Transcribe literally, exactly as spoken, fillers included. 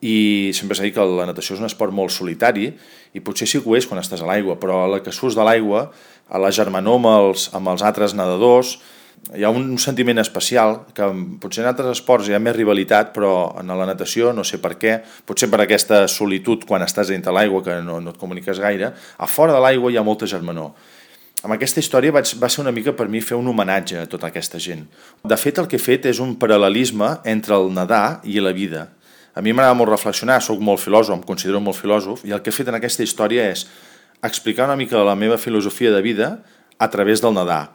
i sempre s'ha dit que la natació és un esport molt solitari i potser sí que ho és quan estàs a l'aigua, però a la que surts de l'aigua, a la germanor amb els, amb els altres nedadors, hi ha un sentiment especial que potser en altres esports hi ha més rivalitat, però en la natació no sé per què, potser per aquesta solitud quan estàs dintre l'aigua que no, no et comuniques gaire, a fora de l'aigua hi ha molta germanor. Amb aquesta història vaig, va ser una mica per mi fer un homenatge a tota aquesta gent. De fet, el que he fet és un paral·lelisme entre el nedar i la vida. A mi m'agrada molt reflexionar, sóc molt filòsof, em considero molt filòsof, i el que he fet en aquesta història és explicar una mica la meva filosofia de vida a través del nedar.